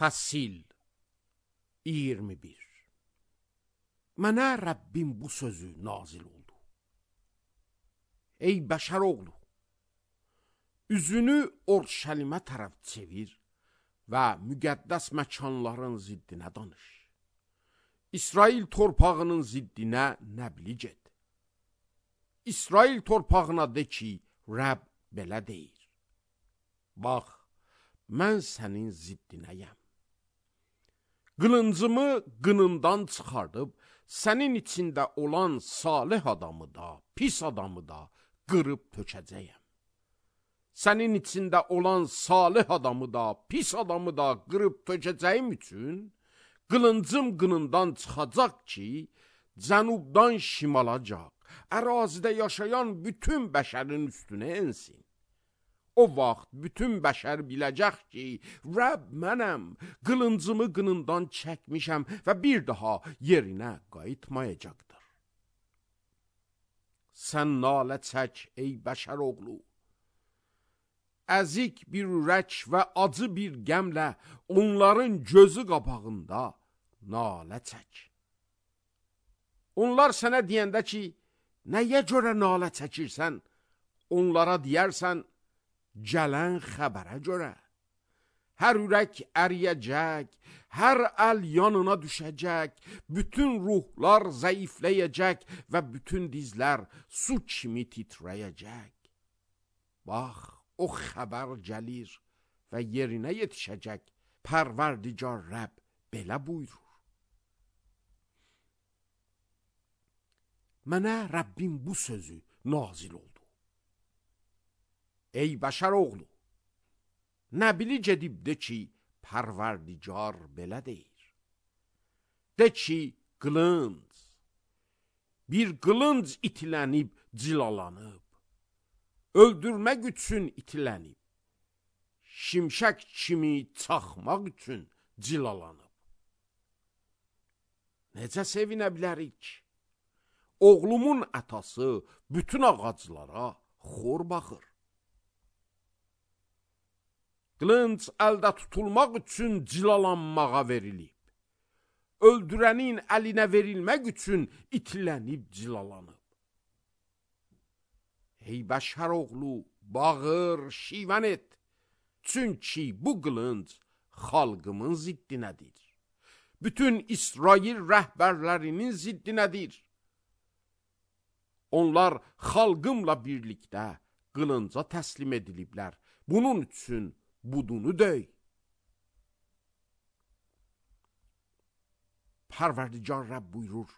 Fəsil 21. Mənə Rəbbim bu sözü nazil oldu. Ey bəşər oğlu, üzünü Orşəlimə tərəf çevir və müqəddəs məkanların ziddinə danış. İsrail torpağının ziddinə nəblic et. İsrail torpağına de ki, Rəbb belə deyir. Bax, mən sənin ziddinəyəm. Qılıncımı qınından çıxardıb, sənin içində olan salih adamı da, pis adamı da qırıb tökəcəyəm. Sənin içində olan salih adamı da, pis adamı da qırıb tökəcəyim üçün, qılıncım qınından çıxacaq ki, cənubdan şimalacaq, ərazidə yaşayan bütün bəşərin üstünə ensin. O vaxt bütün bəşər biləcək ki, Rəbb mənəm, qılıncımı qınından çəkmişəm və bir daha yerinə qayıtmayacaqdır. Sən nalə çək, ey bəşər oğlu. Əzik bir ürək və acı bir qəmlə onların gözü qabağında nalə çək. Onlar sənə deyəndə ki, nəyə görə nalə çəkirsən? Onlara deyərsən, gələn xəbərə görə. Hər ürək əriyəcək, hər əl yanına düşəcək, bütün ruhlar zəifləyəcək və bütün dizlər su kimi titrəyəcək. Bax, o xəbər gəlir və yerinə yetişəcək. Pərverdigar Rəbb belə buyurur. Mənə Rəbbim bu sözü nazil oldu. Ey bəşər oğlu, nəbilic edib de ki, Pərverdigar belə deyir. De ki, qılınc, bir qılınc itilənib, cilalanıb, öldürmək üçün itilənib, şimşək kimi çaxmaq üçün cilalanıb. Necə sevinə bilərik? Oğlumun atası bütün ağaclara xor baxır. Qılınc əldə tutulmaq üçün cilalanmağa verilib. Öldürənin əlinə verilmək üçün itilənib, cilalanıb. Ey bəşər oğlu, bağır, şivən et. Çünki bu qılınc xalqımın ziddinədir. Bütün İsrail rəhbərlərinin ziddinədir. Onlar xalqımla birlikdə qılınca təslim ediliblər. Bunun üçün budunu döy. Pərverdigar Rəbb buyurur,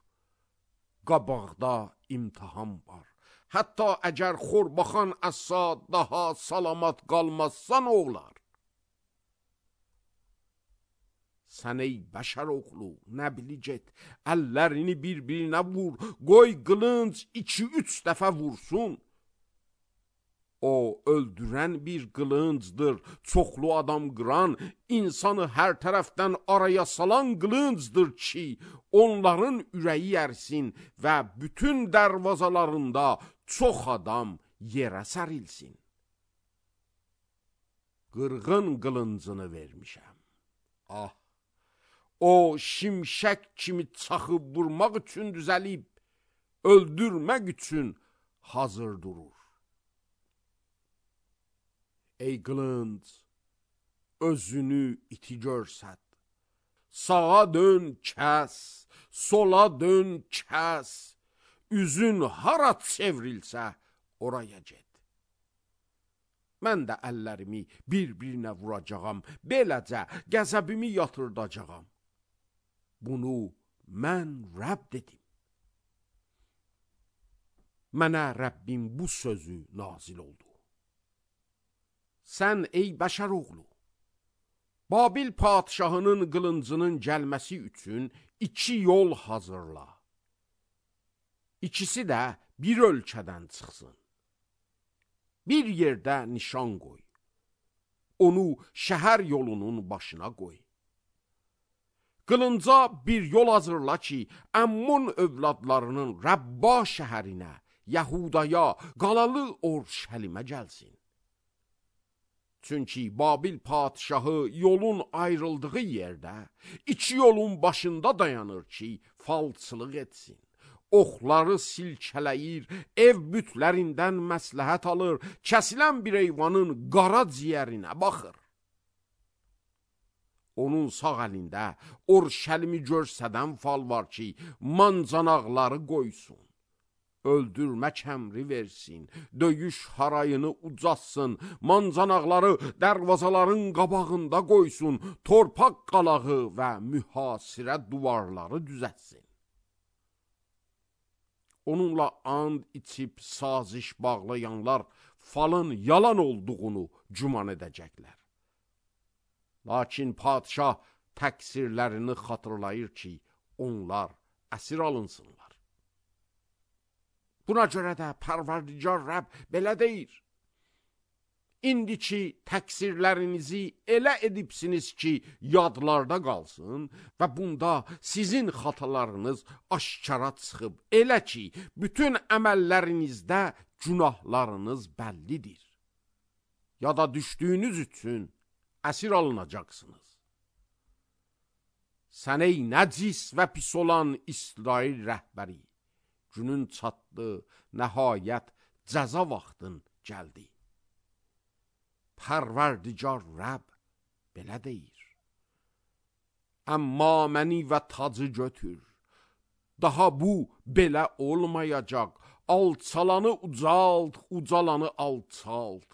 qabaqda imtihan var. Hətta əgər xorbaxan əsa daha salamat qalmazsan oğlar. Sən ey bəşər oğlu, nəbilic et, əllərini bir-birinə vur, qoy qılınc 2-3 dəfə vursun. O öldürən bir qılıncdır, çoxlu adam qıran, insanı hər tərəfdən araya salan qılıncdır ki, onların ürəyi ərsin və bütün dərvazalarında çox adam yerə sərilsin. Qırğın qılıncını vermişəm. Ah, o şimşək kimi çaxıb vurmaq üçün düzəlib, öldürmək üçün hazır durur. Ey qılınc, özünü iti görsət. Sağa dön, kəs, sola dön, kəs. Üzün hara çevrilsə, oraya get. Mən də əllərimi bir-birinə vuracağam, beləcə qəzəbimi yatırdacağam. Bunu mən Rəbb dedim. Mənə Rəbbim bu sözü nazil oldu. Sən ey bəşər oğlu, Babil padişahının qılıncının gəlməsi üçün 2 yol hazırla. İkisi də bir ölkədən çıxsın. Bir yerdə nişan qoy. Onu şəhər yolunun başına qoy. Qılınca bir yol hazırla ki, Əmmun övladlarının Rəbba şəhərinə, Yəhudaya, qalalı Orşəlimə gəlsin. Çünki Babil padişahı yolun ayrıldığı yerdə, iki yolun başında dayanır ki, falçılıq etsin. Oxları silkələyir, ev bütlərindən məsləhət alır, kəsilən bir heyvanın qara ciyərinə baxır. Onun sağ əlində Orşəlimi görsədən fal var ki, mancanaqları qoysun. Öldürmək əmri versin, döyüş harayını ucatsın, mancanaqları dərvazaların qabağında qoysun, torpaq qalağı və mühasirə duvarları düzətsin. Onunla and içib saziş bağlayanlar falın yalan olduğunu güman edəcəklər. Lakin padişah təqsirlərini xatırlayır ki, onlar əsir alınsınlar. Buna görə də Pərverdigar Rəbb belə deyir: İndiki təqsirlərinizi elə edibsiniz ki, yadlarda qalsın və bunda sizin xatalarınız aşkara çıxıb, elə ki, bütün əməllərinizdə günahlarınız bəllidir. Yada düşdüyünüz üçün əsir alınacaqsınız. Sən ey nəcis və pis olan İsrail rəhbəri, günün çatdı, nəhayət cəza vaxtın gəldi. Pərverdigar Rəbb belə deyir: Əmma məni və tacı götür, daha bu belə olmayacaq, alçalanı ucalt, ucalanı alçalt.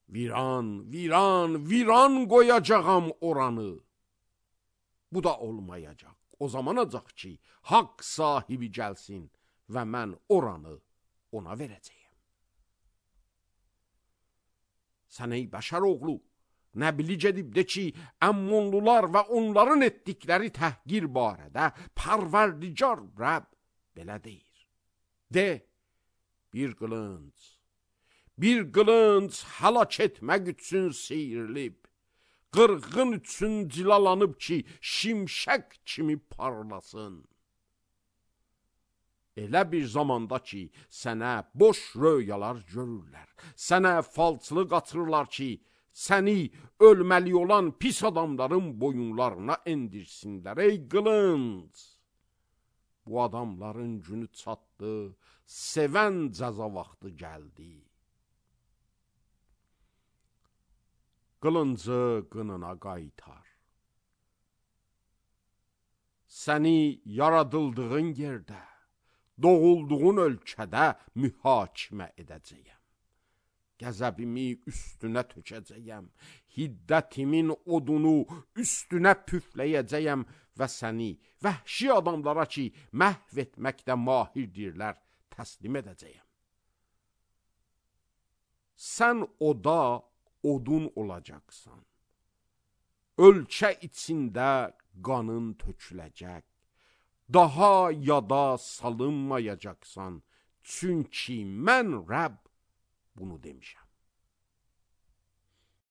Viran, viran, viran qoyacağam oranı. Bu da olmayacaq. O zamanacaq ki, haqq sahibi gəlsin və mən oranı ona verəcəyim. Sən ey bəşər oğlu, nəbilic edib de ki, Əmmonlular və onların etdikləri təhqir barədə Pərverdigar Rəbb belə deyir. De, bir qılınc həlak etmək üçün seyrilib, qırğın üçün cilalanıb ki, şimşək kimi parlasın. Elə bir zamanda ki, sənə boş röyalar görürlər, sənə falçılıq atırlar ki, səni ölməli olan pis adamların boyunlarına endirsinlər. Ey qılınc! Bu adamların günü çatdı, sevən cəza vaxtı gəldi. Qılıncı qınına qaytar. Səni yaradıldığın yerdə, doğulduğun ölkədə mühakimə edəcəyəm. Qəzəbimi üstünə tökəcəyəm, hiddətimin odunu üstünə püfləyəcəyəm və səni vəhşi adamlara ki, məhv etməkdə mahirdirlər, təslim edəcəyəm. Sən oda odun olacaqsan. Ölkə içində qanın töküləcək. Daha yada salınmayacaqsan. Çünki mən Rəbb bunu demişəm.